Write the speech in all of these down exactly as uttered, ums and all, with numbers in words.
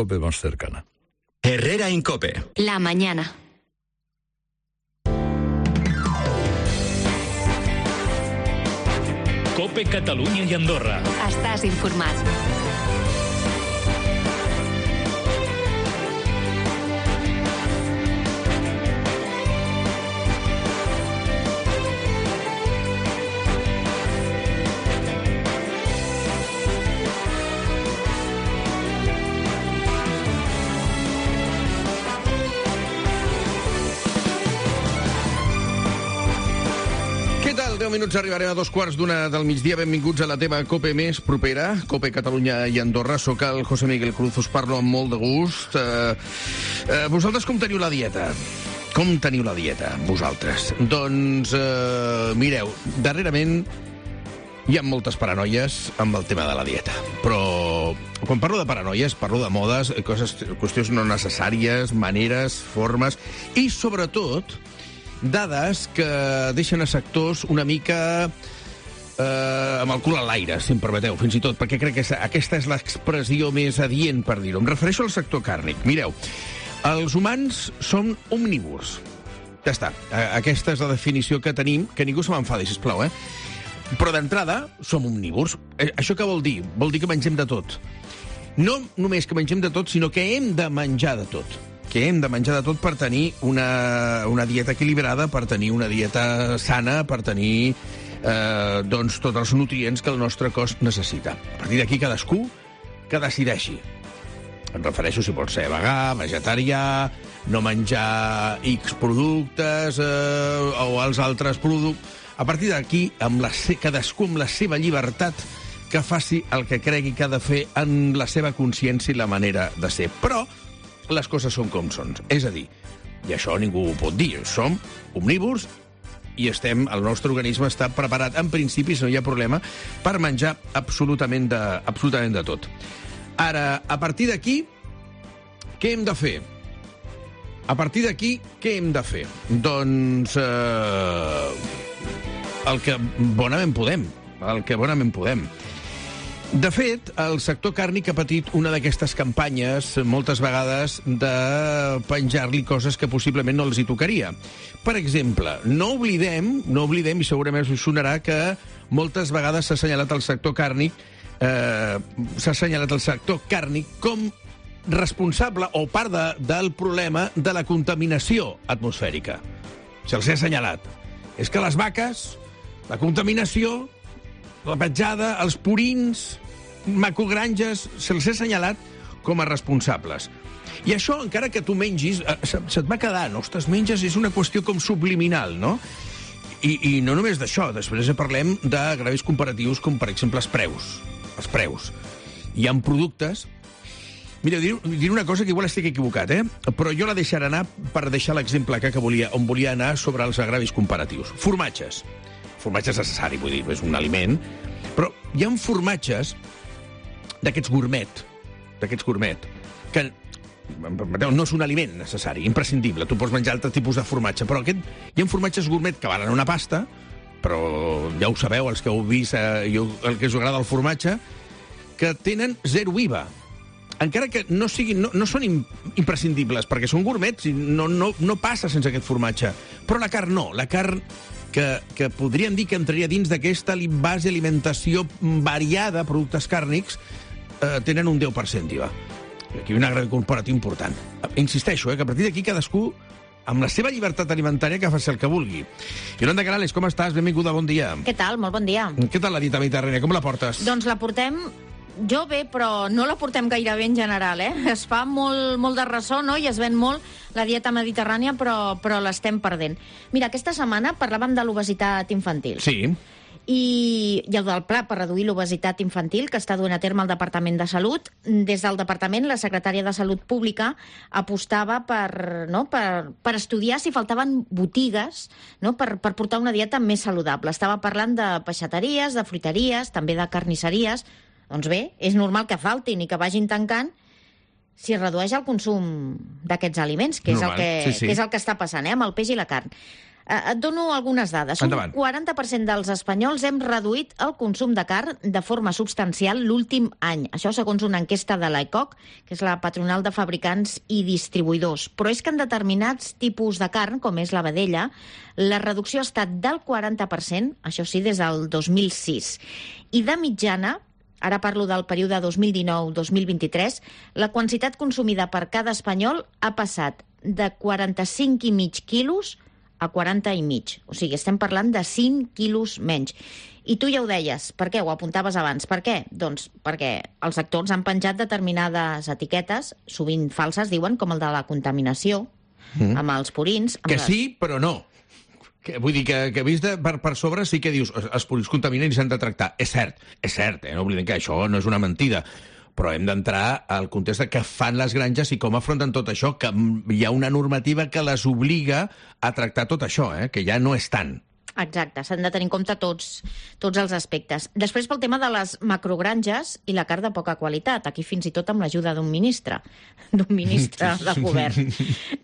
COPE más cercana. Herrera Incope. La mañana. COPE Catalunya i Andorra. Estàs informat. deu minuts arribarem a dos quarts d'una del migdia. Benvinguts a la teva COPE més propera, COPE Catalunya i Andorra. Soc el José Miguel Cruz, us parlo amb molt de gust. Uh, uh, vosaltres com teniu la dieta? Com teniu la dieta, vosaltres? Doncs, uh, mireu, darrerament hi ha moltes paranoies amb el tema de la dieta. Però quan parlo de paranoies, parlo de modes, coses, qüestions no necessàries, maneres, formes i, sobretot, dades que deixen a sectors una mica eh, amb el cul a l'aire, si em permeteu, fins i tot, perquè crec que aquesta és l'expressió més adient per dir-ho. Em refereixo al sector càrnic. Mireu, els humans són omnívors. Ja està. Aquesta és la definició que tenim, que ningú se m'enfadi, sisplau, eh? Però d'entrada som omnívors. Això què vol dir? Vol dir que mengem de tot. No només que mengem de tot, sinó que hem de menjar de tot. que hem de menjar de tot per tenir una, una dieta equilibrada, per tenir una dieta sana, per tenir eh, doncs, tots els nutrients que el nostre cos necessita. A partir d'aquí, cadascú que decideixi. Em refereixo si pot ser vegà, vegetarià, no menjar X productes eh, o els altres productes. A partir d'aquí, amb la, cadascú amb la seva llibertat, que faci el que cregui que ha de fer en la seva consciència i la manera de ser. Però les coses són com són. És a dir, i això ningú ho pot dir, som omnívors i estem, el nostre organisme està preparat, en principi, si no hi ha problema, per menjar absolutament de, absolutament de tot. Ara, a partir d'aquí, què hem de fer? A partir d'aquí, què hem de fer? Doncs eh, el que bonament podem. El que bonament podem. De fet, el sector càrnic ha patit una d'aquestes campanyes, moltes vegades, de penjar-li coses que possiblement no els hi tocaria. Per exemple, no oblidem, no oblidem, i segurament us sonarà, que moltes vegades s'ha assenyalat el sector càrnic, eh, s'ha assenyalat el sector càrnic com responsable o part de, del problema de la contaminació atmosfèrica. Se'ls ha assenyalat. És que les vaques, la contaminació, la petjada, els purins, macogranges, se'ls ha assenyalat com a responsables. I això, encara que tu mengis, se't va quedant, ostres, menges, és una qüestió com subliminal, no? I, i no només d'això, després parlem de gravis comparatius com, per exemple, els preus. Els preus. Hi ha productes... Mira, dir, dir una cosa que igual estic equivocat, eh? Però jo la deixaré anar per deixar l'exemple que, que volia, on volia anar sobre els agravis comparatius. Formatges. Formatge és necessari, vull dir, és un aliment, però hi ha formatges d'aquests gourmet, d'aquests gourmet, que no és un aliment necessari, imprescindible. Tu pots menjar altre tipus de formatge, però aquest, hi ha formatges gourmet que valen una pasta, però ja ho sabeu, els que heu vist, eh, el que us agrada el formatge, que tenen zero I V A. Encara que no, siguin, no, no són imprescindibles, perquè són gourmets i no, no, no passa sense aquest formatge. Però la carn no, la carn... Que, que podríem dir que entraria dins d'aquesta base d'alimentació variada, productes càrnics, eh, tenen un deu per cent d'I V A. Aquí hi ha un agregat comparatiu important. Insisteixo, eh, que a partir d'aquí cadascú, amb la seva llibertat alimentària, que faci el que vulgui. Yolanda Canales, com estàs? Benvinguda, bon dia. Què tal? Molt bon dia. Què tal la dieta mediterrània? Com la portes? Doncs la portem... Jo bé, però no la portem gaire bé en general, eh? Es fa molt, molt de ressò, no?, i es ven molt la dieta mediterrània, però, però l'estem perdent. Mira, aquesta setmana parlàvem de l'obesitat infantil. Sí. I, i el del pla per reduir l'obesitat infantil, que està duent a terme el Departament de Salut. Des del Departament, la secretària de Salut Pública apostava per, no, per, per estudiar si faltaven botigues, no, per, per portar una dieta més saludable. Estava parlant de peixateries, de fruiteries, també de carnisseries. Doncs bé, és normal que faltin i que vagin tancant si es redueix el consum d'aquests aliments, que és, el que, sí, sí. que és el que està passant, eh, amb el peix i la carn. Et dono algunes dades. Endavant. Un quaranta per cent dels espanyols hem reduït el consum de carn de forma substancial l'últim any. Això segons una enquesta de l'A E C O C, que és la patronal de fabricants i distribuïdors. Però és que en determinats tipus de carn, com és la vedella, la reducció ha estat del quaranta per cent, això sí, des del dos mil sis. I de mitjana, ara parlo del període dos mil dinou dos mil vint-i-tres, la quantitat consumida per cada espanyol ha passat de quaranta-cinc i mig quilos a quaranta i mig. O sigui, estem parlant de cinc quilos menys. I tu ja ho deies. Per què? Ho apuntaves abans. Per què? Doncs perquè els actors han penjat determinades etiquetes, sovint falses, diuen, com el de la contaminació, mm. amb els purins... Amb que les... sí, però no. Que, vull dir que, que vist de, per, per sobre sí que dius els purins contaminen i s'han de tractar. És cert, és cert, eh? No oblidem que això no és una mentida. Però hem d'entrar al context de què fan les granges i com afronten tot això, que hi ha una normativa que les obliga a tractar tot això, eh? Que ja no és tant. Exacte, s'han de tenir en compte tots, tots els aspectes. Després, pel tema de les macrogranges i la carn de poca qualitat, aquí fins i tot amb l'ajuda d'un ministre, d'un ministre del govern,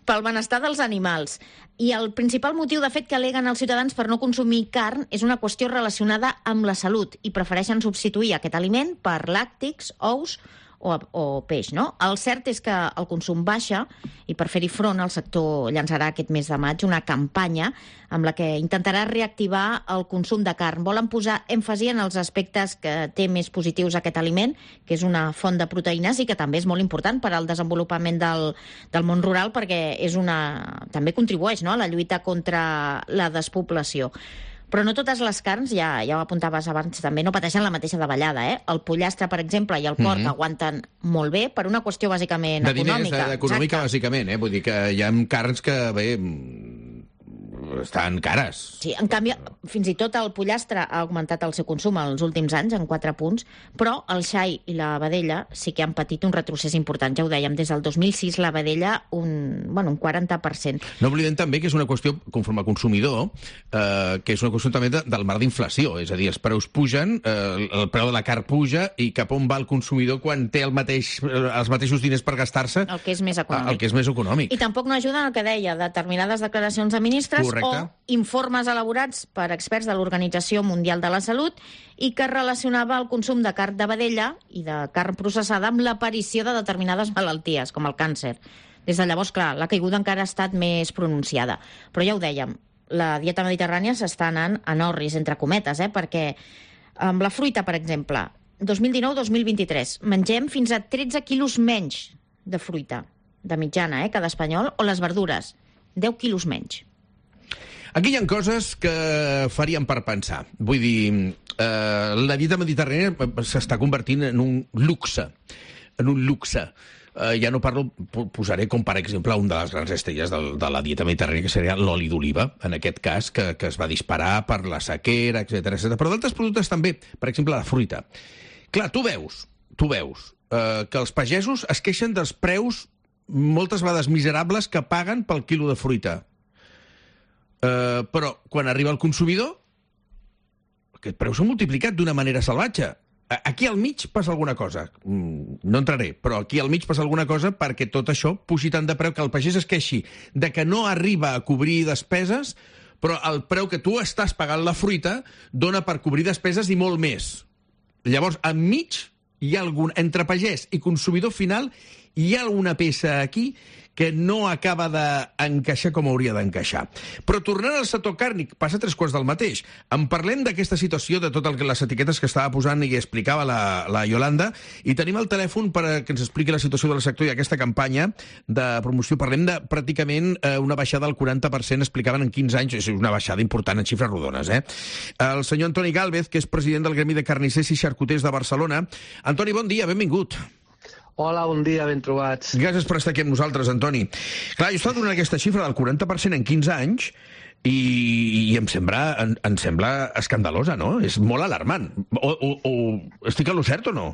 pel benestar dels animals. I el principal motiu, de fet, que aleguen els ciutadans per no consumir carn és una qüestió relacionada amb la salut i prefereixen substituir aquest aliment per làctics, ous o, o peix, no? El cert és que el consum baixa i per fer-hi front el sector llançarà aquest mes de maig una campanya amb la que intentarà reactivar el consum de carn. Volen posar èmfasi en els aspectes que té més positius aquest aliment, que és una font de proteïnes i que també és molt important per al desenvolupament del, del món rural perquè és una, també contribueix, no?, a la lluita contra la despoblació. Però no totes les carns, ja, ja ho apuntaves abans també, no pateixen la mateixa davallada, eh? El pollastre, per exemple, i el porc mm-hmm. aguanten molt bé per una qüestió bàsicament de econòmica. De diners, econòmica, bàsicament, eh? Vull dir que hi ha carns que, bé, estan cares. Sí, en canvi, fins i tot el pollastre ha augmentat el seu consum els últims anys, en quatre punts, però el xai i la vedella sí que han patit un retrocés important. Ja ho dèiem, des del dos mil sis la vedella un, bueno, un quaranta per cent. No oblidem també que és una qüestió, conforme a consumidor, eh, que és una qüestió també de, del mar d'inflació. És a dir, els preus pugen, eh, el preu de la carn puja, i cap on va el consumidor quan té el mateix, els mateixos diners per gastar-se? El que és més econòmic. El que és més econòmic. I tampoc no ajuden el que deia, determinades declaracions de ministres. Correcte. O informes elaborats per experts de l'Organització Mundial de la Salut i que relacionava el consum de carn de vedella i de carn processada amb l'aparició de determinades malalties, com el càncer. Des de llavors, clar, la caiguda encara ha estat més pronunciada. Però ja ho dèiem, la dieta mediterrània s'està anant en orris, entre cometes, eh? Perquè amb la fruita, per exemple, dos mil dinou dos mil vint-i-tres, mengem fins a tretze quilos menys de fruita, de mitjana, eh? Cada espanyol, o les verdures, deu quilos menys. Aquí hi ha coses que farien per pensar. Vull dir, eh, la dieta mediterrània s'està convertint en un luxe, en un luxe. Eh, ja no parlo, posaré com per exemple una de les grans estrelles de, de la dieta mediterrània, que seria l'oli d'oliva, en aquest cas, que, que es va disparar per la sequera, etcètera, etcètera. Però d'altres productes també, per exemple, la fruita. Clar, tu veus, tu veus eh, que els pagesos es queixen dels preus moltes vegades miserables que paguen pel quilo de fruita. Uh, però quan arriba el consumidor aquest preu s'ha multiplicat d'una manera salvatge. Aquí al mig passa alguna cosa, no entraré, però aquí al mig passa alguna cosa perquè tot això pugi tant de preu que el pagès es queixi de que no arriba a cobrir despeses, però el preu que tu estàs pagant la fruita dona per cobrir despeses i molt més. Llavors, enmig hi ha algun, entre pagès i consumidor final, hi ha alguna peça aquí que no acaba d'encaixar com hauria d'encaixar. Però tornant al sector càrnic, passa tres quarts del mateix. En parlem d'aquesta situació, de totes les etiquetes que estava posant i explicava la, la Yolanda, i tenim el telèfon per que ens expliqui la situació del sector i aquesta campanya de promoció. Parlem de pràcticament eh, una baixada del quaranta per cent, explicaven en quinze anys, és una baixada important en xifres rodones. Eh? El senyor Antoni Gálvez, que és president del Gremi de Carnissers i Xarcuters de Barcelona. Antoni, bon dia, benvingut. Hola, bon dia, ben trobats. Gràcies per estar aquí amb nosaltres, Antoni. Clar, jo estava donant aquesta xifra del quaranta per cent en quinze anys i, i em, sembla, em, em sembla escandalosa, no? És molt alarmant. O, o, o estic a lo cert o no?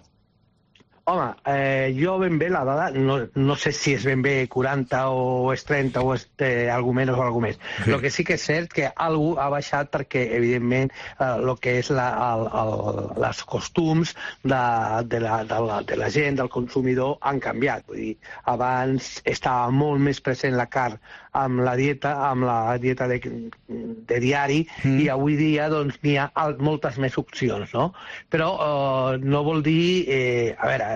Home, eh, jo ben bé la dada, no, no sé si és ben bé quaranta o és trenta o és eh, algú menys o algú més. Sí. El que sí que és cert que algú ha baixat perquè, evidentment, el eh, que és la, el, el, les costums de, de, la, de, la, de la gent, del consumidor, han canviat. Vull dir, abans estava molt més present la carn amb la dieta, amb la dieta de, de diari, mm. i avui dia doncs n'hi ha moltes més opcions, no? Però eh, no vol dir, eh, a veure,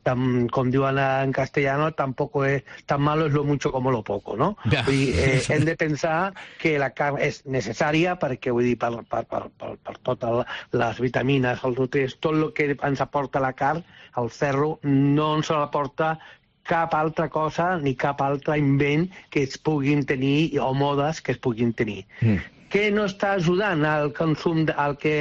Tam, com diuen en castellano, tampoco es tan malo es lo mucho como lo poco, no? Ja. Vull dir, eh, hem de pensar que la carn és necessària perquè, vull dir, per, per, per, per, per totes les vitamines, els nutrients, tot el que ens aporta la carn, el ferro, no ens l'aporta cap altra cosa ni cap altre invent que es puguin tenir o modes que es puguin tenir. Mm. Què no està ajudant al consum, al que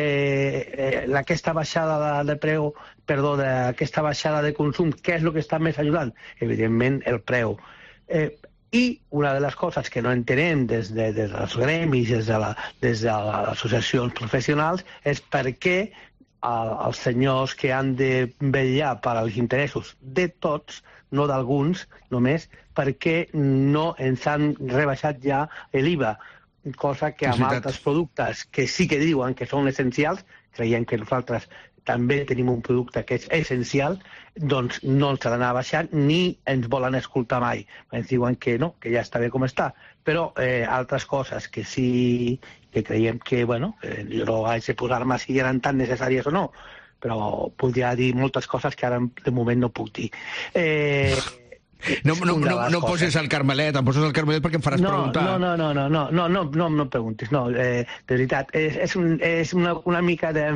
eh, aquesta baixada de, de preu, perdó, d'aquesta baixada de consum, què és el que està més ajudant? Evidentment, el preu. Eh, I una de les coses que no entenem des, de, des dels gremis, des de, la, des de les associacions professionals, és per què el, els senyors que han de vetllar per als interessos de tots, no d'alguns només, per què no ens han rebaixat ja l'I V A, cosa que amb altres productes que sí que diuen que són essencials, creiem que nosaltres també tenim un producte que és essencial, doncs no ens l'han baixat ni ens volen escoltar mai. Ens diuen que no, que ja està bé com està. Però eh, altres coses que sí que creiem que, bueno, eh, jo no haig de posar-me si eren tan necessàries o no, però podria dir moltes coses que ara de moment no puc dir. Eh... No, no, no, no poses el Carmelet, em poses el Carmelet perquè em faràs no, preguntar. No, no, no, no, no, no, no, no, no preguntis, no, eh, de veritat, és, és, un, és una, una mica de,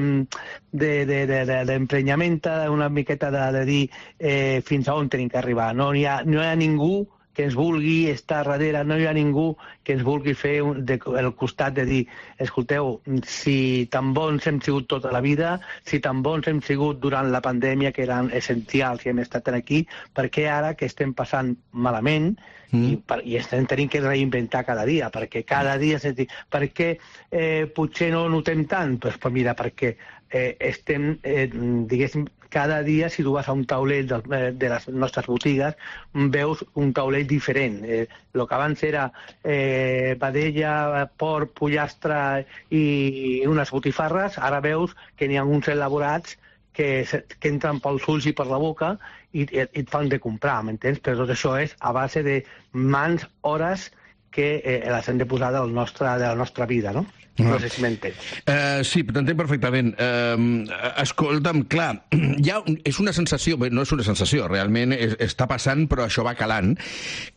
de, de, de, de, d'emprenyament, una miqueta de, de dir eh, fins a on tenim que arribar. No hi ha, no hi ha ningú que ens vulgui estar darrere, no hi ha ningú que ens vulgui fer un, de, el costat de dir, escolteu, si tan bons hem sigut tota la vida, si tan bons hem sigut durant la pandèmia, que eren essencials i hem estat aquí, per què ara que estem passant malament mm. i, per, i estem tenint que reinventar cada dia, perquè cada dia... És dir, per què eh, potser no notem tant? Pues, pues mira, perquè eh, estem, eh, diguéssim, cada dia, si tu vas a un taulell de, de les nostres botigues, veus un taulell diferent. Eh, el que abans era eh, vedella, porc, pollastre i unes botifarres, ara veus que n'hi ha uns elaborats que, que entren pels ulls i per la boca i, i et fan de comprar, m'entens? Però tot això és a base de mans, hores que eh, les hem de posar del nostre, de la nostra vida, no? No sé si m'entens. Uh, sí, t'entenc perfectament. Uh, escolta'm, clar, ja és una sensació, bé, no és una sensació, realment és, està passant, però això va calant,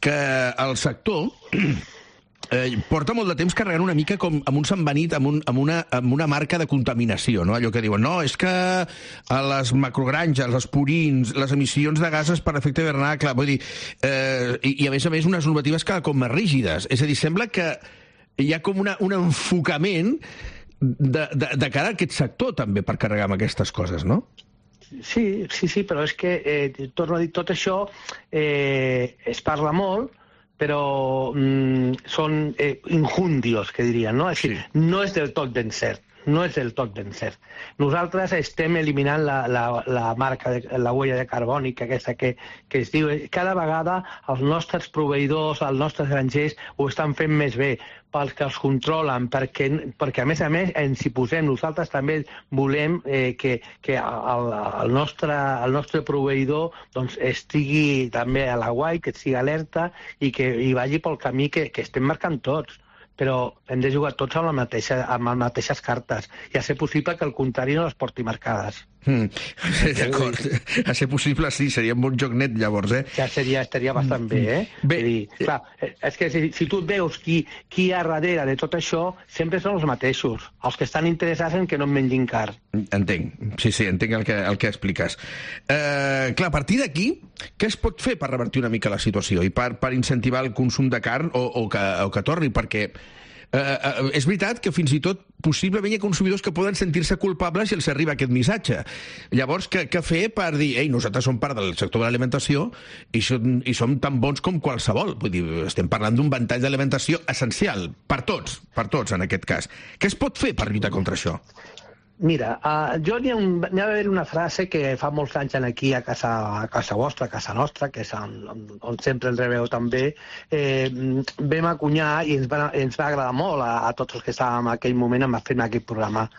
que el sector eh, porta molt de temps carregant una mica com amb un sambenit, amb, un, amb, una, amb una marca de contaminació, no? Allò que diuen, no, és que a les macrogranges, els purins, les emissions de gasos per efecte hivernacle, vull dir, eh, i, i a més a més unes normatives cada cop més rígides. És a dir, sembla que hi ha com una, un enfocament de, de, de cara a aquest sector també per carregar amb aquestes coses, no? Sí, sí, sí, però és que, eh, torno a dir, tot això eh, es parla molt, però mm, són eh, injundios, que dirien, no? És sí. dir, no és del tot ben cert. No és del tot ben cert. Nosaltres estem eliminant la, la, la marca, de, la huella de carbònica, aquesta que, que es diu... Cada vegada els nostres proveïdors, els nostres grangers ho estan fent més bé, pels que els controlen, perquè, perquè a més a més ens hi posem. Nosaltres també volem eh, que, que el, el, nostre, el nostre proveïdor doncs, estigui també a l'aguai, que estigui alerta i que hi vagi pel camí que, que estem marcant tots. Però hem de jugar tots amb, la mateixa, amb les mateixes cartes i a ser possible que el contrari no les porti marcades. Mm. D'acord. A ser possible, sí, seria un bon joc net, llavors, eh? Ja seria, estaria bastant bé, eh? Bé. Dir, clar, és que si, si tu et veus qui, qui hi ha darrere de tot això, sempre són els mateixos, els que estan interessats en que no en mengin car. Entenc, sí, sí, entenc el que, el que expliques. Eh, clar, a partir d'aquí, què es pot fer per revertir una mica la situació i per, per incentivar el consum de carn o, o, que, o que torni? Perquè eh, eh, és veritat que fins i tot possiblement hi ha consumidors que poden sentir-se culpables si els arriba aquest missatge. Llavors, què, què fer per dir, ei, nosaltres som part del sector de l'alimentació i som, i som tan bons com qualsevol? Vull dir, estem parlant d'un ventall d'alimentació essencial per tots, per tots en aquest cas. Què es pot fer per lluitar contra això? Mira, uh, jo n'hi ha, un, n'hi ha d'haver una frase que fa molts anys aquí a casa, a casa vostra, a casa nostra, que és on, on sempre ens rebeu també, eh, vam acunyar i ens va, ens va agradar molt a, a tots els que estàvem en aquell moment en fent aquest programa.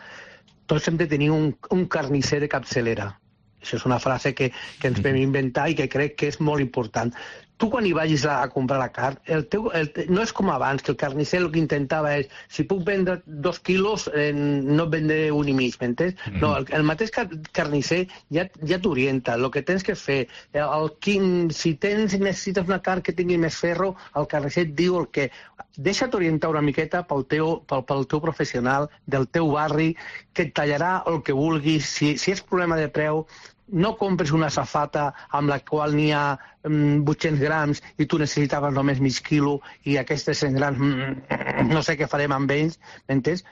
Tots hem de tenir un, un carnisser de capçalera. Això és una frase que, que ens vam inventar i que crec que és molt important. Tu quan hi vagis a, a comprar la carn, el teu, el, no és com abans, que el carnisser el que intentava és, si puc vendre dos quilos, eh, no et vendré un i mig, m'entens? Mm -hmm. No, el, el mateix car carnisser ja, ja t'orienta. El que tens que fer, el, quin, si tens necessites una carn que tingui més ferro, el carnisser et diu el que... Deixa't orientar una miqueta pel teu, pel, pel teu professional, del teu barri, que et tallarà el que vulguis. Si, si és problema de preu, no compres una safata amb la qual n'hi ha mm, vuit-cents grams i tu necessitaves només mig quilo i aquestes cent grams mm, no sé què farem amb ells, m'entens?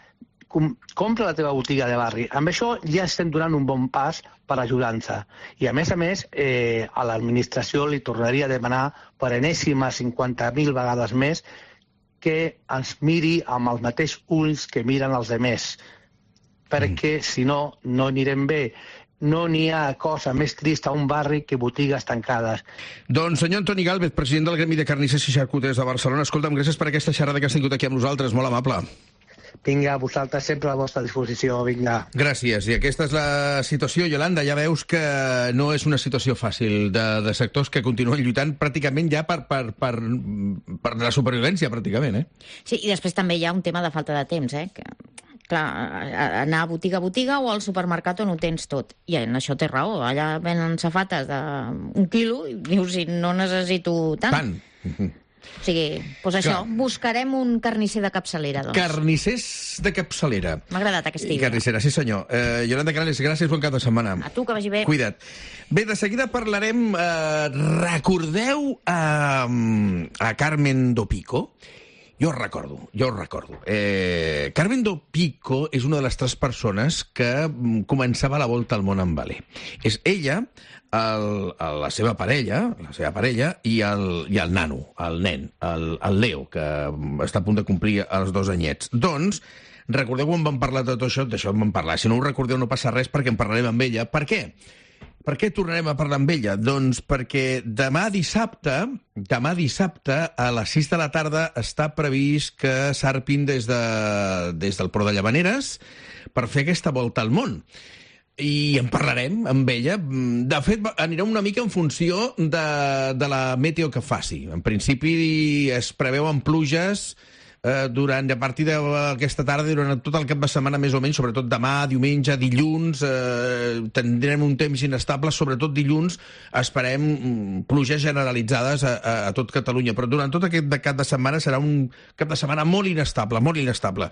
Com, compra la teva botiga de barri. Amb això ja estem donant un bon pas per ajudar-nos. I a més a més, eh, a l'administració li tornaria a demanar per enèsima cinquanta mil vegades més que ens miri amb els mateixos ulls que miren els altres, perquè si no, no anirem bé. No n'hi ha cosa més trista a un barri que botigues tancades. Doncs senyor Antoni Gálvez, president del Gremi de Carnissers i Xarcuters de Barcelona, escolta'm, gràcies per aquesta xerrada que has tingut aquí amb nosaltres, molt amable. Vinga, vosaltres sempre a la vostra disposició, vinga. Gràcies. I aquesta és la situació, Yolanda. Ja veus que no és una situació fàcil de, de sectors que continuen lluitant pràcticament ja per, per, per, per la supervivència, pràcticament, eh? Sí, i després també hi ha un tema de falta de temps, eh? Que... Clar, anar a botiga a botiga o al supermercat on ho tens tot. I en això té raó. Allà venen safates d'un quilo i dius, si no necessito tant. Tant. O sigui, doncs això, clar. Buscarem un carnisser de capçalera, doncs. Carnissers de capçalera. M'ha agradat aquesta idea. Carnissera, sí senyor. Eh, Yolanda Canales, gràcies, bon cap de setmana. A tu, que vagi bé. Cuida't. Bé, de seguida parlarem... Eh, recordeu a, a Carmen Dopico? Jo ho recordo, jo ho recordo. Eh, Carmen Dopico és una de les tres persones que començava la volta al món en vale. És ella, el, el, la seva parella, la seva parella i el, i el nano, el nen, el, el Leo, que està a punt de complir els dos anyets. Doncs, recordeu quan vam parlar de tot això? D'això en vam parlar. Si no ho recordeu no passa res perquè en parlarem amb ella. Per què? Per què tornarem a parlar amb ella? Doncs perquè demà dissabte, demà dissabte, a les sis de la tarda, està previst que s'arpin des, de, des del Port de Llavaneres per fer aquesta volta al món. I en parlarem amb ella. De fet, anirà una mica en funció de, de la meteo que faci. En principi es preveuen pluges eh, durant, a partir d'aquesta tarda, durant tot el cap de setmana més o menys, sobretot demà, diumenge, dilluns, eh, tindrem un temps inestable, sobretot dilluns, esperem mm, pluges generalitzades a, a, a tot Catalunya, però durant tot aquest cap de setmana serà un cap de setmana molt inestable, molt inestable.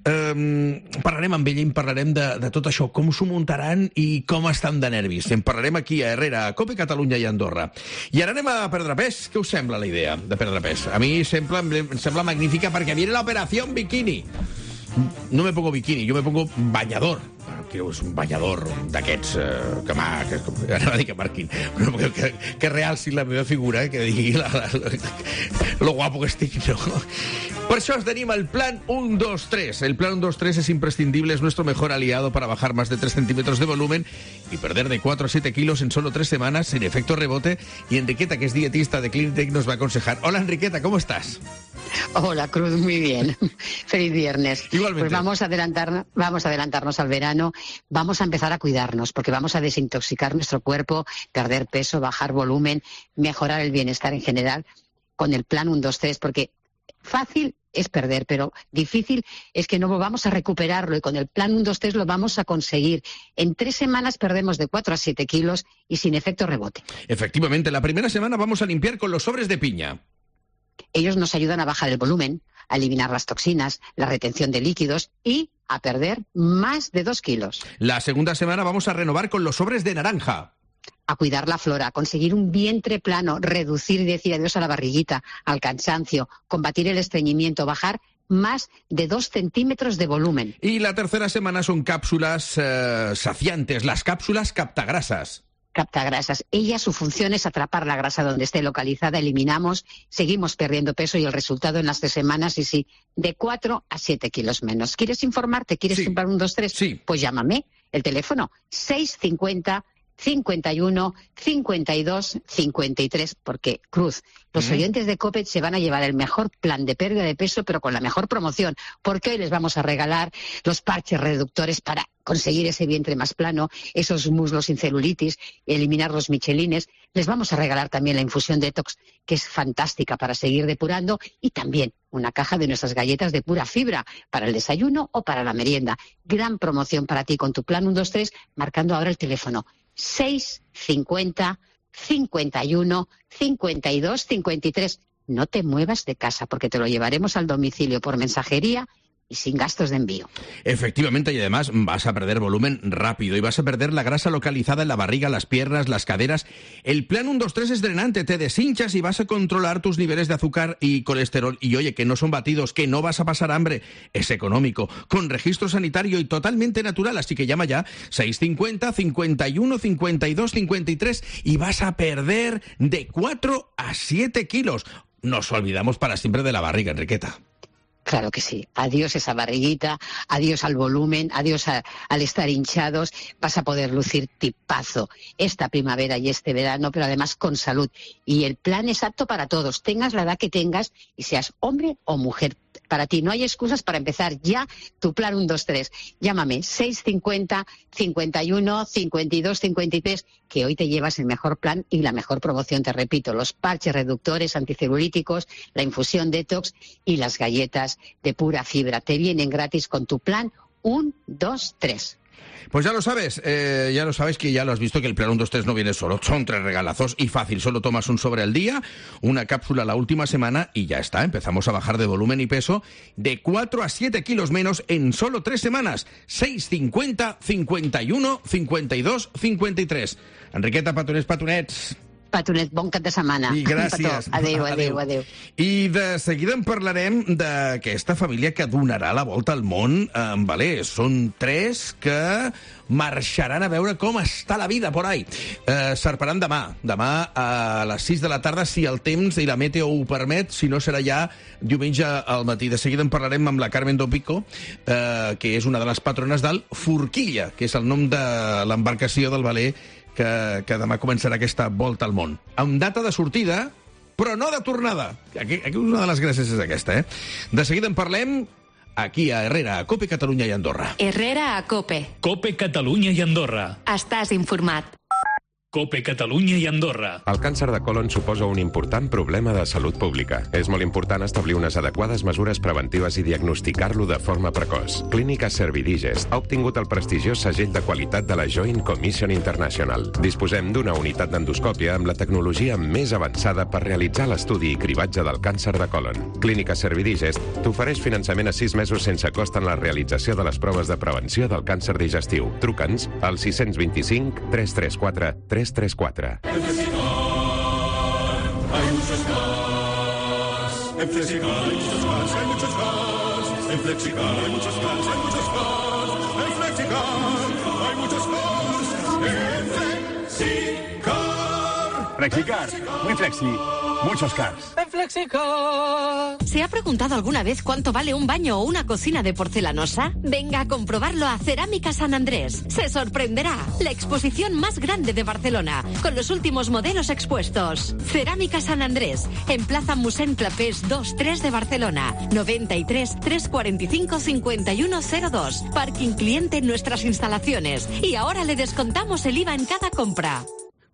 Um, parlarem amb ella i en parlarem de, de tot això, com s'ho muntaran i com estan de nervis. En parlarem aquí a Herrera, a Cope Catalunya i Andorra. I ara anem a perdre pes. Què us sembla la idea de perdre pes? A mi sembla, em sembla magnífica perquè viene la operación bikini. No me pongo bikini, yo me pongo bañador. Que és un bañador d'aquests eh, que m'ha... Anava a dir que marquin, però que, que, que realci la meva figura, que digui la, la, la, lo guapo que estic, no? Por eso os tenim el plan uno dos tres. El plan uno dos tres es imprescindible, es nuestro mejor aliado para bajar más de tres centímetros de volumen y perder de cuatro a siete kilos en solo tres semanas sin efecto rebote. Y Enriqueta, que es dietista de Clinitec, nos va a aconsejar. Hola, Enriqueta, ¿cómo estás? Hola, Cruz, muy bien. Feliz viernes. Igualmente. Pues vamos a adelantarnos, vamos a adelantarnos al verano, vamos a empezar a cuidarnos, porque vamos a desintoxicar nuestro cuerpo, perder peso, bajar volumen, mejorar el bienestar en general con el plan uno dos tres, porque fácil es perder, pero difícil es que no volvamos a recuperarlo, y con el plan uno dos tres lo vamos a conseguir. En tres semanas perdemos de cuatro a siete kilos y sin efecto rebote. Efectivamente, la primera semana vamos a limpiar con los sobres de piña. Ellos nos ayudan a bajar el volumen, a eliminar las toxinas, la retención de líquidos y a perder más de dos kilos. La segunda semana vamos a renovar con los sobres de naranja. A cuidar la flora, a conseguir un vientre plano, reducir y decir adiós a la barriguita, al cansancio, combatir el estreñimiento, bajar más de dos centímetros de volumen. Y la tercera semana son cápsulas eh, saciantes, las cápsulas captagrasas. capta grasas. Ella, su función es atrapar la grasa donde esté localizada, eliminamos, seguimos perdiendo peso y el resultado en las tres semanas, y sí, de cuatro a siete kilos menos. ¿Quieres informarte? ¿Quieres Sí. comprar un dos tres? Sí. Pues llámame. El teléfono seis cincuenta, cincuenta y uno, cincuenta y dos, cincuenta y tres, porque, Cruz, los Mm. oyentes de COPE se van a llevar el mejor plan de pérdida de peso, pero con la mejor promoción, porque hoy les vamos a regalar los parches reductores para conseguir ese vientre más plano, esos muslos sin celulitis, eliminar los michelines. Les vamos a regalar también la infusión detox, que es fantástica para seguir depurando, y también una caja de nuestras galletas de pura fibra para el desayuno o para la merienda. Gran promoción para ti con tu plan uno dos tres, marcando ahora el teléfono seis cincuenta, cincuenta y uno, cincuenta y dos, cincuenta y tres. No te muevas de casa porque te lo llevaremos al domicilio por mensajería y sin gastos de envío. Efectivamente, y además vas a perder volumen rápido y vas a perder la grasa localizada en la barriga, las piernas, las caderas. El plan uno dos tres es drenante, te deshinchas y vas a controlar tus niveles de azúcar y colesterol. Y oye, que no son batidos, que no vas a pasar hambre, es económico, con registro sanitario y totalmente natural, así que llama ya seis cincuenta, cincuenta y uno, cincuenta y dos, cincuenta y tres y vas a perder de cuatro a siete kilos. Nos olvidamos para siempre de la barriga, Enriqueta. Claro que sí. Adiós esa barriguita, adiós al volumen, adiós a, al estar hinchados. Vas a poder lucir tipazo esta primavera y este verano, pero además con salud. Y el plan es apto para todos, tengas la edad que tengas y seas hombre o mujer. Para ti no hay excusas para empezar ya tu plan uno dos tres. Llámame seis cincuenta, cincuenta y uno, cincuenta y dos, cincuenta y tres, que hoy te llevas el mejor plan y la mejor promoción, te repito, los parches reductores anticelulíticos, la infusión detox y las galletas de pura fibra. Te vienen gratis con tu plan uno dos tres. Pues ya lo sabes, eh, ya lo sabes que ya lo has visto que el plan uno dos tres no viene solo, son tres regalazos y fácil, solo tomas un sobre al día, una cápsula la última semana y ya está, empezamos a bajar de volumen y peso de cuatro a siete kilos menos en solo tres semanas, seis cincuenta, cincuenta y uno, cincuenta y dos, cincuenta y tres. Enriqueta, petonets, petonets. Petonet, bon cap de setmana. I gràcies. Adéu, adéu, adéu. I de seguida en parlarem d'aquesta família que donarà la volta al món en veler. Són tres que marxaran a veure com està la vida por ahí. Eh, S'arparan demà. Demà a les sis de la tarda, si el temps i la meteo ho permet, si no serà ja diumenge al matí. De seguida en parlarem amb la Carmen Dopico, eh, que és una de les patrones del Forquilla, que és el nom de l'embarcació del veler que, que demà començarà aquesta volta al món. Amb data de sortida, però no de tornada. Aquí, aquí una de les gràcies és aquesta, eh? De seguida en parlem aquí a Herrera, a COPE, Catalunya i Andorra. Herrera a COPE. COPE Catalunya i Andorra. Estàs informat. COPE Catalunya i Andorra. El càncer de colon suposa un important problema de salut pública. És molt important establir unes adequades mesures preventives i diagnosticar-lo de forma precoç. Clínica Servidigest ha obtingut el prestigiós segell de qualitat de la Joint Commission International. Disposem d'una unitat d'endoscòpia amb la tecnologia més avançada per realitzar l'estudi i cribatge del càncer de colon. Clínica Servidigest t'ofereix finançament a sis mesos sense cost en la realització de les proves de prevenció del càncer digestiu. Truca'ns al sis dos cinc, tres tres quatre, tres tres quatre. En Flexicar hay muchos cars. En Flexicar hay muchos cars, hay muchos cars. En Flexicar hay muchos cars, hay muchos cars. En Flexicar hay muchos cars. En Flexicar. Flexicar, muy flexi, muchos cars. En Flexicar. ¿Se ha preguntado alguna vez cuánto vale un baño o una cocina de porcelanosa? Venga a comprobarlo a Cerámica San Andrés. Se sorprenderá. La exposición más grande de Barcelona, con los últimos modelos expuestos. Cerámica San Andrés, en Plaza Mossèn Clapés dos tres de Barcelona. noventa y tres, trescientos cuarenta y cinco, cincuenta y uno cero dos. Parking cliente en nuestras instalaciones. Y ahora le descontamos el I V A en cada compra.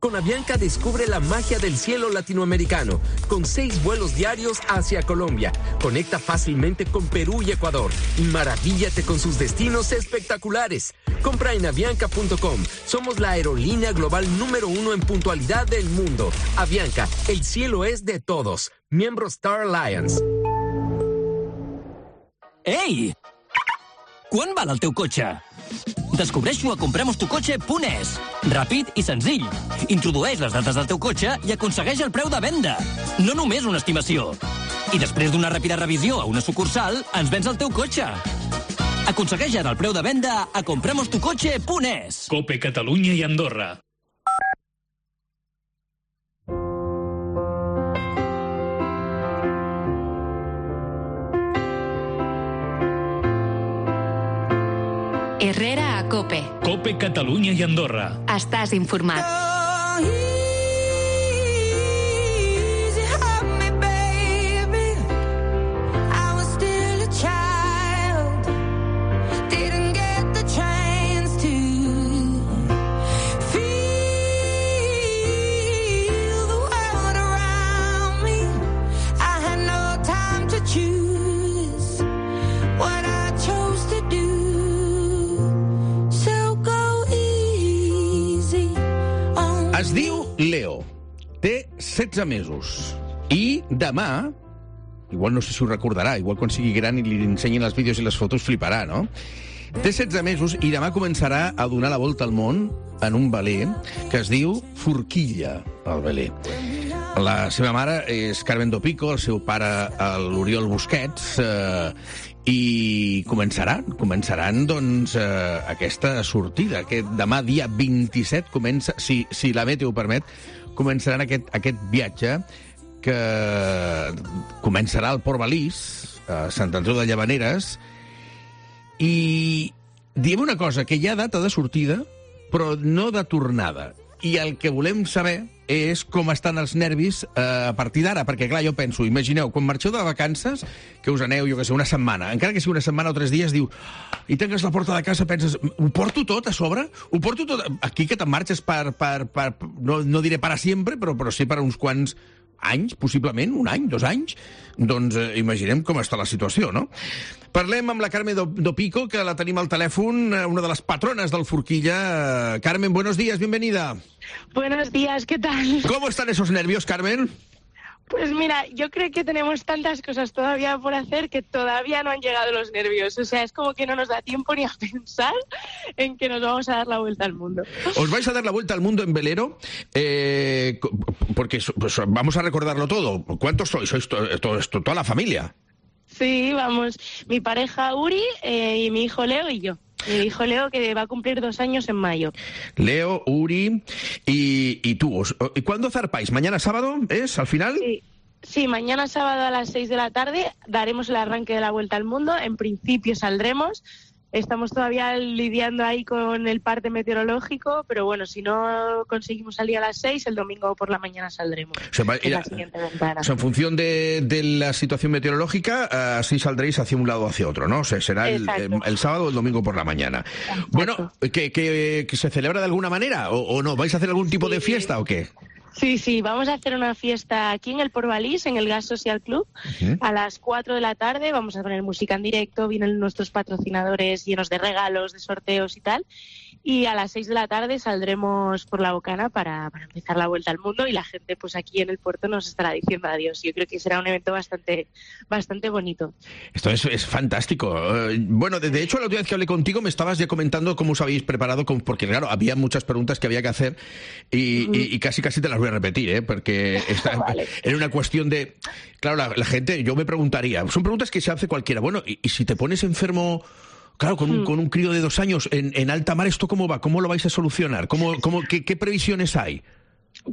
Con Avianca descubre la magia del cielo latinoamericano, con seis vuelos diarios hacia Colombia. Conecta fácilmente con Perú y Ecuador y maravíllate con sus destinos espectaculares. Compra en avianca punto com. Somos la aerolínea global número uno en puntualidad del mundo. Avianca, el cielo es de todos. Miembro Star Alliance. Ei! Quan val el teu cotxe? Descobreix-ho a compremos tu cotxe punt es. Ràpid i senzill. Introdueix les dades del teu cotxe i aconsegueix el preu de venda. No només una estimació. I després d'una ràpida revisió a una sucursal, ens vens el teu cotxe. Aconsegueix ara el preu de venda a compremos tu cotxe punt es. COPE Catalunya i Andorra. Catalunya i Andorra. Estàs informat. Es diu Leo, té setze mesos i demà, igual no sé si ho recordarà, igual quan sigui gran i li ensenyin els vídeos i les fotos fliparà, no? Té setze mesos i demà començarà a donar la volta al món en un veler que es diu Forquilla, el veler. La seva mare és Carmen Dopico, el seu pare l'Oriol Busquets, eh, i començaran, començaran doncs, eh, aquesta sortida. Aquest demà, dia vint-i-set, comença, si, si la meteo ho permet, començaran aquest, aquest viatge que començarà al Port Balís, a Sant Andreu de Llavaneres, i diem una cosa, que hi ha data de sortida, però no de tornada. I el que volem saber és com estan els nervis eh, a partir d'ara, perquè, clar, jo penso, imagineu, quan marxeu de vacances, que us aneu, jo que sé, una setmana, encara que sigui una setmana o tres dies, diu, i tanques la porta de casa, penses, ho porto tot a sobre? Ho porto tot? Aquí que te'n marxes per, per, per no, no diré para sempre, però, però sí per uns quants anys, possiblement, un any, dos anys, doncs eh, imaginem com està la situació, no? Parlem amb la Carmen Dopico, que la tenim al telèfon, una de les patrones del Forquilla. Carmen, buenos días, bienvenida. Buenos días, ¿qué tal? ¿Cómo están esos nervios, Carmen? Pues mira, yo creo que tenemos tantas cosas todavía por hacer que todavía no han llegado los nervios. O sea, es como que no nos da tiempo ni a pensar en que nos vamos a dar la vuelta al mundo. ¿Os vais a dar la vuelta al mundo en velero? Eh, porque pues, vamos a recordarlo todo. ¿Cuántos sois? ¿Sois to to to toda la familia? Sí, vamos. Mi pareja Uri eh, y mi hijo Leo y yo. Mi hijo Leo, que va a cumplir dos años en mayo. Leo, Uri y, y tú. ¿Y cuándo zarpáis? ¿Mañana sábado es, al final? Sí. Sí, mañana sábado a las seis de la tarde daremos el arranque de la Vuelta al Mundo. En principio saldremos. Estamos todavía lidiando ahí con el parte meteorológico, pero bueno, si no conseguimos salir a las seis, el domingo por la mañana saldremos. O sea, en la siguiente ventana. O sea, en función de, de la situación meteorológica, uh, así saldréis hacia un lado o hacia otro, ¿no? O sea, será el, el, el sábado o el domingo por la mañana. Exacto. Bueno, ¿que, que, que se celebra de alguna manera o, o no? ¿Vais a hacer algún tipo sí. de fiesta o qué? Sí, sí, vamos a hacer una fiesta aquí en el Port Balís, en el Gas Social Club, uh-huh. a las cuatro de la tarde. Vamos a poner música en directo, vienen nuestros patrocinadores llenos de regalos, de sorteos y tal. Y a las seis de la tarde saldremos por la Bocana para, para empezar la Vuelta al Mundo y la gente pues aquí en el puerto nos estará diciendo adiós. Yo creo que será un evento bastante bastante bonito. Esto es, es fantástico. Uh, bueno, de, de hecho, la última vez que hablé contigo me estabas ya comentando cómo os habéis preparado, con, porque claro, había muchas preguntas que había que hacer y, uh-huh. y, y casi casi te las voy a repetir, ¿eh? Porque esta, vale. era una cuestión de... Claro, la, la gente, yo me preguntaría, son preguntas que se hace cualquiera. Bueno, y, y si te pones enfermo... Claro, con un, con un crío de dos años en, en alta mar, ¿esto cómo va? ¿Cómo lo vais a solucionar? ¿Cómo, cómo, qué, qué previsiones hay?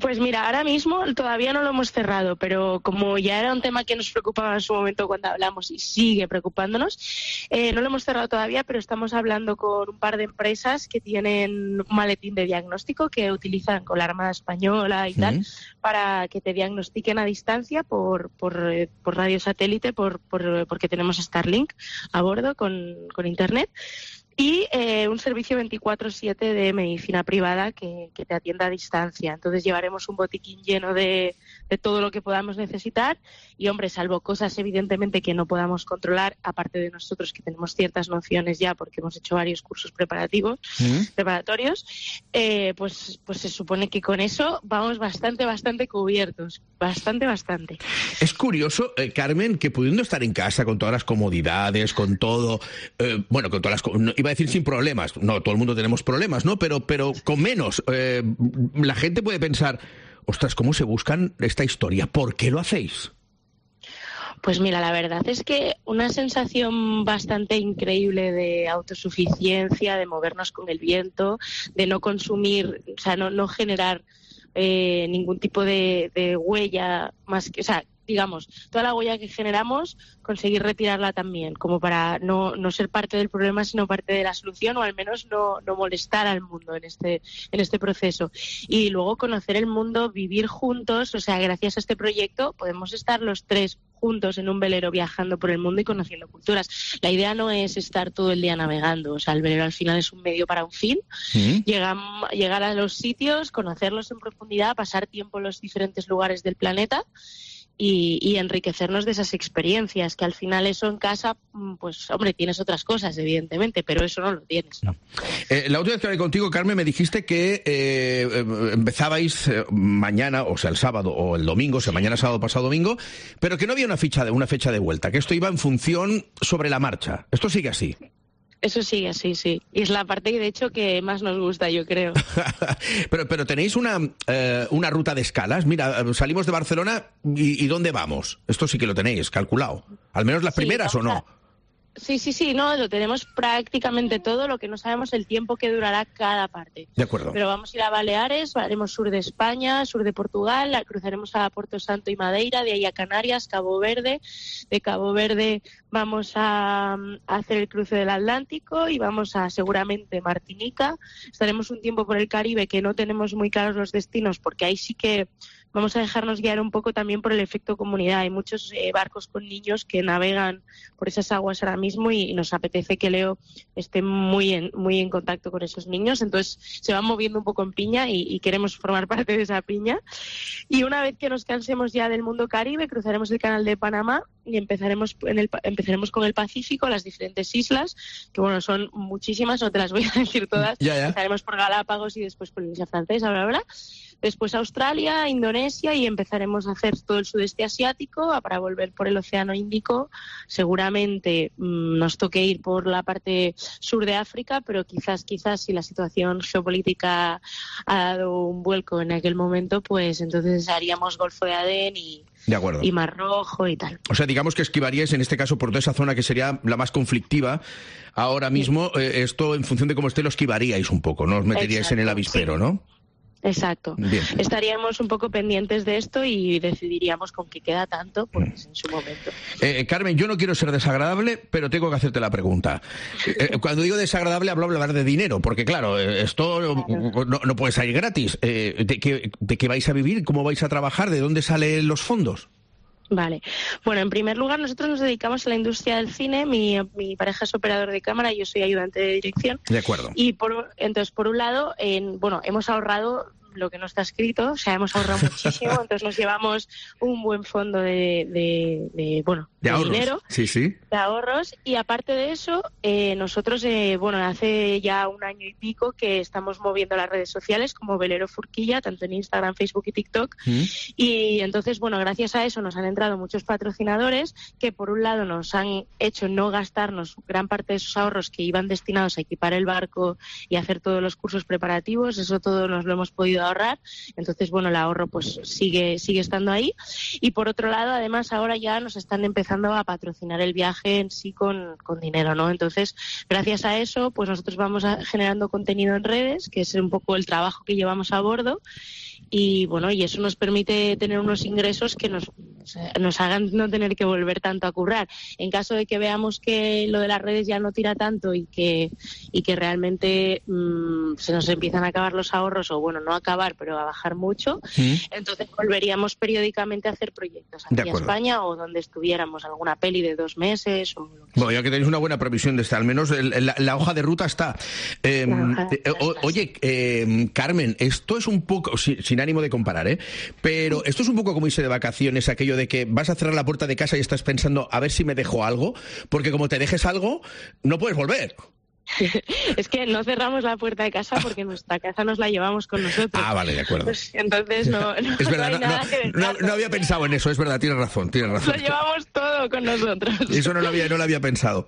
Pues mira, ahora mismo todavía no lo hemos cerrado, pero como ya era un tema que nos preocupaba en su momento cuando hablamos y sigue preocupándonos, eh, no lo hemos cerrado todavía, pero estamos hablando con un par de empresas que tienen un maletín de diagnóstico que utilizan con la Armada Española y ¿Sí? tal, para que te diagnostiquen a distancia por, por, eh, por radio satélite, por, por, porque tenemos Starlink a bordo con, con internet. Y eh, un servicio veinticuatro siete de medicina privada que, que te atienda a distancia. Entonces llevaremos un botiquín lleno de, de todo lo que podamos necesitar y, hombre, salvo cosas evidentemente que no podamos controlar, aparte de nosotros que tenemos ciertas nociones ya porque hemos hecho varios cursos preparativos, ¿Mm? preparatorios, eh, pues, pues se supone que con eso vamos bastante, bastante cubiertos. Bastante, bastante. Es curioso, eh, Carmen, que pudiendo estar en casa con todas las comodidades, con todo, eh, bueno, con todas las... No, iba a decir sin problemas, no, todo el mundo tenemos problemas, ¿no? Pero, pero con menos, eh, la gente puede pensar, ostras, ¿cómo se buscan esta historia? ¿Por qué lo hacéis? Pues mira, la verdad es que una sensación bastante increíble de autosuficiencia, de movernos con el viento, de no consumir, o sea, no, no generar eh, ningún tipo de, de huella más que, o sea, digamos, toda la huella que generamos, conseguir retirarla también, como para no, no ser parte del problema, sino parte de la solución, o al menos no, no molestar al mundo en este, en este proceso. Y luego conocer el mundo, vivir juntos, o sea, gracias a este proyecto podemos estar los tres juntos en un velero viajando por el mundo y conociendo culturas. La idea no es estar todo el día navegando, o sea, el velero al final es un medio para un fin. ¿Mm? Llegar, llegar a los sitios, conocerlos en profundidad, pasar tiempo en los diferentes lugares del planeta y, y enriquecernos de esas experiencias, que al final eso en casa, pues hombre, tienes otras cosas, evidentemente, pero eso no lo tienes, ¿no? Eh, la última vez que hablé contigo, Carmen, me dijiste que eh, empezabais eh, mañana, o sea, el sábado o el domingo, o sea, mañana, sábado, pasado domingo, pero que no había una fecha de, una fecha de vuelta, que esto iba en función sobre la marcha. ¿Esto sigue así? Eso sigue así, sí. Y es la parte, de hecho, que más nos gusta, yo creo. pero, pero tenéis una, eh, una ruta de escalas. Mira, salimos de Barcelona y, ¿y dónde vamos? Esto sí que lo tenéis calculado. ¿Al menos las sí, primeras o no? A... Sí, sí, sí, no, lo tenemos prácticamente todo, lo que no sabemos el tiempo que durará cada parte. De acuerdo. Pero vamos a ir a Baleares, haremos sur de España, sur de Portugal, cruzaremos a Puerto Santo y Madeira, de ahí a Canarias, Cabo Verde. De Cabo Verde vamos a, a hacer el cruce del Atlántico y vamos a seguramente Martinica. Estaremos un tiempo por el Caribe, que no tenemos muy claros los destinos, porque ahí sí que vamos a dejarnos guiar un poco también por el efecto comunidad. Hay muchos eh, barcos con niños que navegan por esas aguas ahora mismo y, y nos apetece que Leo esté muy en, muy en contacto con esos niños. Entonces se van moviendo un poco en piña y, y queremos formar parte de esa piña. Y una vez que nos cansemos ya del mundo Caribe, cruzaremos el canal de Panamá y empezaremos, en el, empezaremos con el Pacífico, las diferentes islas, que bueno, son muchísimas, no te las voy a decir todas. Ya, ya. Empezaremos por Galápagos y después Polinesia Francesa, bla, bla, bla. Después Australia, Indonesia y empezaremos a hacer todo el sudeste asiático para volver por el Océano Índico. Seguramente mmm, nos toque ir por la parte sur de África, pero quizás, quizás si la situación geopolítica ha dado un vuelco en aquel momento, pues entonces haríamos Golfo de Adén y, de acuerdo. y Mar Rojo y tal. O sea, digamos que esquivaríais en este caso por toda esa zona que sería la más conflictiva. Ahora mismo, sí. eh, esto en función de cómo esté lo esquivaríais un poco, no os meteríais Exacto, en el avispero, sí. ¿no? Exacto. Bien. Estaríamos un poco pendientes de esto y decidiríamos con qué queda tanto, pues en su momento. Eh, Carmen, yo no quiero ser desagradable, pero tengo que hacerte la pregunta. Eh, cuando digo desagradable, hablo hablar de dinero, porque claro, esto claro. No, no puede salir gratis. Eh, ¿de, qué, ¿De qué vais a vivir? ¿Cómo vais a trabajar? ¿De dónde salen los fondos? Vale. Bueno, en primer lugar, nosotros nos dedicamos a la industria del cine. Mi, mi pareja es operador de cámara y yo soy ayudante de dirección. De acuerdo. Y por, entonces, por un lado, en, bueno, hemos ahorrado lo que no está escrito, o sea, hemos ahorrado muchísimo, entonces nos llevamos un buen fondo de, de, de bueno, de, de dinero, sí, sí. de ahorros, y aparte de eso, eh, nosotros, eh, bueno, hace ya un año y pico que estamos moviendo las redes sociales como Velero Furquilla, tanto en Instagram, Facebook y TikTok, ¿Mm? Y entonces, bueno, gracias a eso nos han entrado muchos patrocinadores que por un lado nos han hecho no gastarnos gran parte de esos ahorros que iban destinados a equipar el barco y hacer todos los cursos preparativos, eso todo nos lo hemos podido ahorrar, entonces bueno, el ahorro pues sigue sigue estando ahí, y por otro lado además ahora ya nos están empezando a patrocinar el viaje en sí con, con dinero, ¿no? Entonces gracias a eso pues nosotros vamos a, generando contenido en redes, que es un poco el trabajo que llevamos a bordo, y bueno, y eso nos permite tener unos ingresos que nos, nos hagan no tener que volver tanto a currar. En caso de que veamos que lo de las redes ya no tira tanto y que y que realmente mmm, se nos empiezan a acabar los ahorros, o bueno, no a acabar, pero a bajar mucho, ¿Sí? entonces volveríamos periódicamente a hacer proyectos aquí en España o donde estuviéramos, alguna peli de dos meses o lo que Bueno, ya que tenéis una buena previsión de estar, al menos el, la, la hoja de ruta está. Eh, eh, o, oye, eh, Carmen, esto es un poco, sin, sin ánimo de comparar, ¿eh? Pero esto es un poco como irse de vacaciones, aquello de que vas a cerrar la puerta de casa y estás pensando a ver si me dejo algo, porque como te dejes algo, no puedes volver. Es que no cerramos la puerta de casa porque nuestra casa nos la llevamos con nosotros. Ah, vale, de acuerdo. Pues, entonces no, no, es verdad, no hay no, nada no, que no, no había pensado en eso, es verdad, tienes razón, tienes razón. Lo llevamos todo con nosotros. Eso no lo había, no lo había pensado.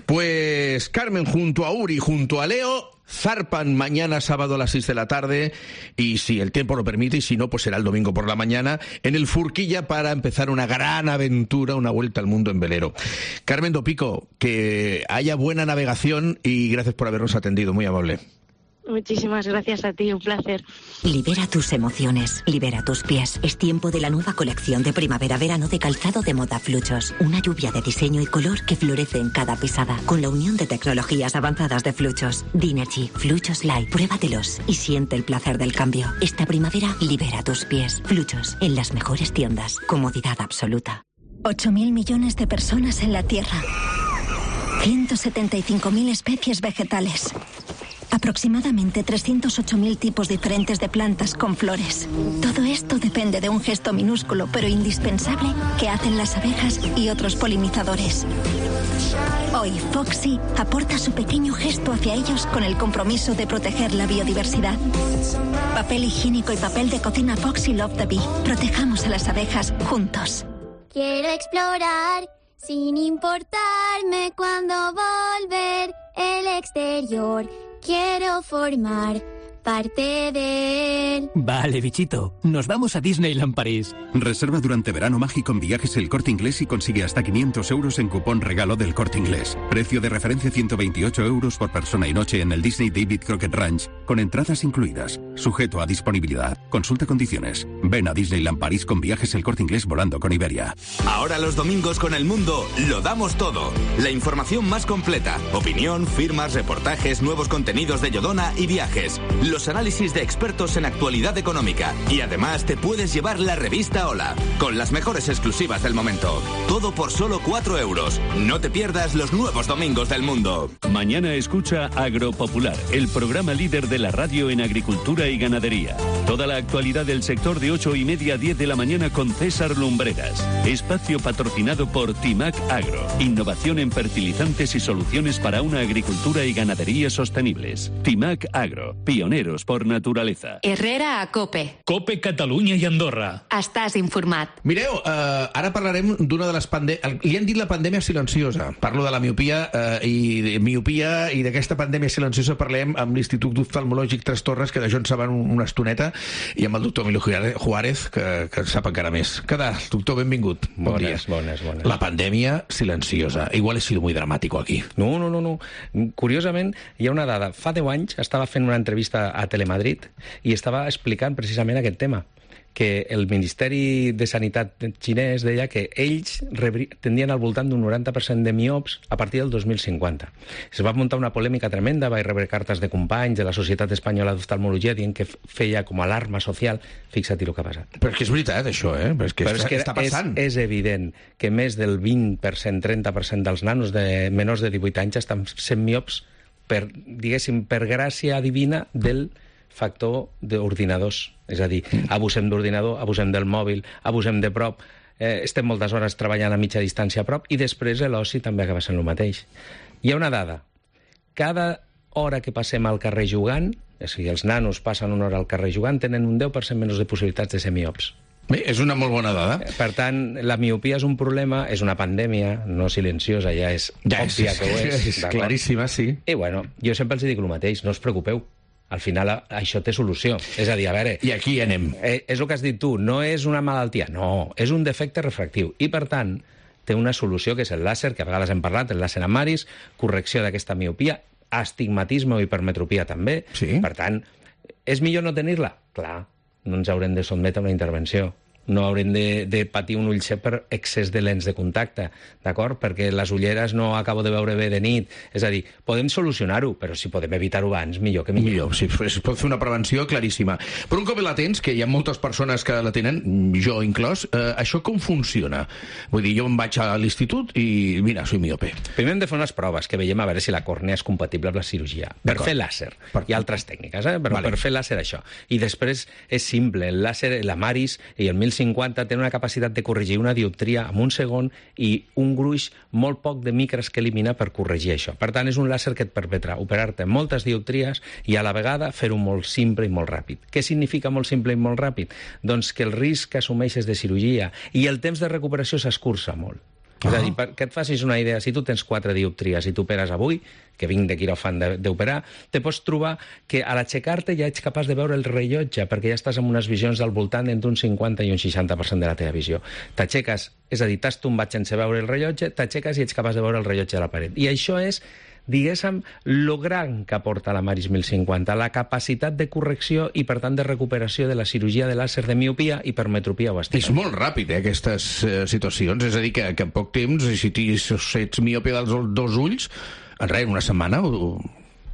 Pues Carmen, junto a Uri, junto a Leo, zarpan mañana sábado a las seis de la tarde, y si el tiempo lo permite, y si no, pues será el domingo por la mañana, en el Furquilla para empezar una gran aventura, una vuelta al mundo en velero. Carmen Dopico, que haya buena navegación y gracias por habernos atendido, muy amable. Muchísimas gracias a ti, un placer. Libera tus emociones, libera tus pies. Es tiempo de la nueva colección de primavera-verano de calzado de moda Fluchos. Una lluvia de diseño y color que florece en cada pisada, con la unión de tecnologías avanzadas de Fluchos. Dinergy, Fluchos Light, pruébatelos y siente el placer del cambio. Esta primavera, libera tus pies. Fluchos, en las mejores tiendas. Comodidad absoluta. ocho mil millones de personas en la Tierra. ciento setenta y cinco mil especies vegetales. Aproximadamente trescientos ocho mil tipos diferentes de plantas con flores. Todo esto depende de un gesto minúsculo pero indispensable que hacen las abejas y otros polinizadores. Hoy Foxy aporta su pequeño gesto hacia ellos con el compromiso de proteger la biodiversidad. Papel higiénico y papel de cocina Foxy Love the Bee. Protejamos a las abejas juntos. Quiero explorar sin importarme cuándo volver el exterior. Quiero formar parte de él. Vale, bichito. Nos vamos a Disneyland París. Reserva durante verano mágico en Viajes El Corte Inglés y consigue hasta quinientos euros en cupón regalo del Corte Inglés. Precio de referencia ciento veintiocho euros por persona y noche en el Disney David Crockett Ranch, con entradas incluidas. Sujeto a disponibilidad. Consulta condiciones. Ven a Disneyland París con Viajes El Corte Inglés volando con Iberia. Ahora los domingos con El Mundo lo damos todo. La información más completa. Opinión, firmas, reportajes, nuevos contenidos de Yodona y viajes. Los análisis de expertos en actualidad económica. Y además te puedes llevar la revista Hola, con las mejores exclusivas del momento. Todo por solo cuatro euros. No te pierdas los nuevos domingos del mundo. Mañana escucha Agropopular, el programa líder de la radio en agricultura y ganadería. Toda la actualidad del sector de ocho y media a diez de la mañana con César Lumbreras. Espacio patrocinado por Timac Agro. Innovación en fertilizantes y soluciones para una agricultura y ganadería sostenibles. Timac Agro, pioneros por naturaleza. Herrera a COPE. COPE Catalunya i Andorra. Estàs informat. Mireu, uh, ara parlarem d'una de les pandèmies... Li han dit la pandèmia silenciosa. Parlo de la miopia uh, i de miopia i d'aquesta pandèmia silenciosa parlem amb l'Institut Oftalmològic Tres Torres, que d'això en saben una estoneta, i amb el doctor Emilio Juárez, que, que sap encara més. Què tal, doctor? Benvingut. Bon bones, dia. bones, bones. La pandèmia silenciosa. Igual he sido muy dramático aquí. No, no, no, no. Curiosament, hi ha una dada. Fa deu anys estava fent una entrevista a Telemadrid i estava explicant precisament aquest tema, que el Ministeri de Sanitat xinès deia que ells tendien al voltant d'un noranta per cent de miops a partir del dos mil cinquanta. Es va muntar una polèmica tremenda, va rebre cartes de companys de la Societat Espanyola d'Oftalmologia dient que feia com alarma social. Fixa't el que ha passat. Però és que és veritat, això, eh? Però és que, Però és, que està passant. És, és evident que més del vint per cent, trenta per cent dels nanos de menors de divuit anys estan sent miops per, diguéssim, per gràcia divina del factor d'ordinadors. És a dir, abusem d'ordinador, abusem del mòbil, abusem de prop, eh, estem moltes hores treballant a mitja distància a prop i després l'oci també acaba sent el mateix. Hi ha una dada. Cada hora que passem al carrer jugant, és a dir, els nanos passen una hora al carrer jugant, tenen un deu per cent menys de possibilitats de ser miops. Bé, és una molt bona dada. Per tant, la miopia és un problema, és una pandèmia, no silenciosa, ja és ja òbvia és, que ho és. És claríssima, sí. I bueno, jo sempre els dic el mateix, no us preocupeu. Al final això té solució. És a dir, a veure... I aquí anem. Eh, és el que has dit tu, no és una malaltia, no, és un defecte refractiu. I, per tant, té una solució que és el làser, que a vegades hem parlat, el làser amb Maris, correcció d'aquesta miopia, astigmatisme o hipermetropia també. Sí. Per tant, és millor no tenir-la? Clar, no ens haurem de sotmetre a una intervenció. No haurem de, de patir un ull cec per excés de lents de contacte, d'acord? Perquè les ulleres no acabo de veure bé de nit. És a dir, podem solucionar-ho, però si podem evitar-ho abans, millor que millor. Millor, sí, es pot fer una prevenció claríssima. Però un cop la tens, que hi ha moltes persones que la tenen, jo inclòs, eh, això com funciona? Vull dir, jo em vaig a l'institut i, mira, soy miope. Primer hem de fer unes proves, que veiem a veure si la còrnea és compatible amb la cirurgia. Per fer làser. Per... Hi ha altres tècniques, eh? però vale. Per fer làser això. I després és simple, el làser, la Maris i el mil cinquanta tenen una capacitat de corregir una dioptria en un segon i un gruix molt poc de micres que elimina per corregir això. Per tant, és un làser que et permetrà operar-te moltes dioptries i a la vegada fer-ho molt simple i molt ràpid. Què significa molt simple i molt ràpid? Doncs que el risc que assumeixes de cirurgia i el temps de recuperació s'escurça molt. Uh -huh. És a dir, perquè et facis una idea, si tu tens quatre dioptries i tu operes avui, que vinc de quiròfan d'operar, te pots trobar que a l'aixecar-te ja ets capaç de veure el rellotge, perquè ja estàs amb unes visions del voltant entre un cinquanta i un seixanta per cent de la teva visió. T'aixeques, és a dir, t'has tombat sense veure el rellotge, t'aixeques i ets capaç de veure el rellotge de la paret. I això és diguéssim, lo gran que aporta la Maris mil cinquanta, la capacitat de correcció i, per tant, de recuperació de la cirurgia de làser de miopia, hipermetropia o astigmatisme. És molt ràpid, eh, aquestes eh, situacions. És a dir, que, que en poc temps, si, si ets miope dels dos ulls, en res, una setmana o...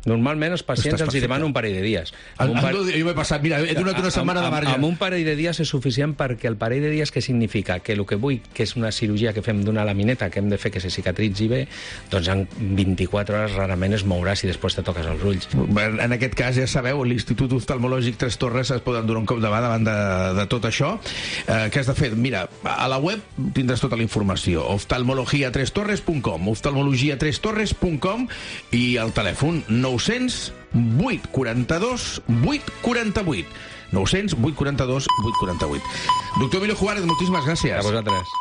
Normalment els pacients els hi demanen un parell de dies. El, par... Jo m'he passat, mira, he donat una setmana de marge. Amb un parell de dies és suficient, perquè el parell de dies què significa? Que el que vull, que és una cirurgia que fem d'una lamineta, que hem de fer que se cicatritzi bé, doncs en vint-i-quatre hores rarament es mourà si després te toques els ulls. En aquest cas, ja sabeu, l'Institut Oftalmològic Tres Torres es poden donar un cop de mà davant de, de tot això. Eh, què has de fer? Mira, a la web tindràs tota la informació. oftalmologia tres torres punt com oftalmologia tres torres punt com i el telèfon nou-cents vuit quaranta-dos vuit quaranta-vuit nou-cents vuit quaranta-dos vuit quaranta-vuit. Doctor Emilio Juárez, moltíssimes gràcies. A vosaltres.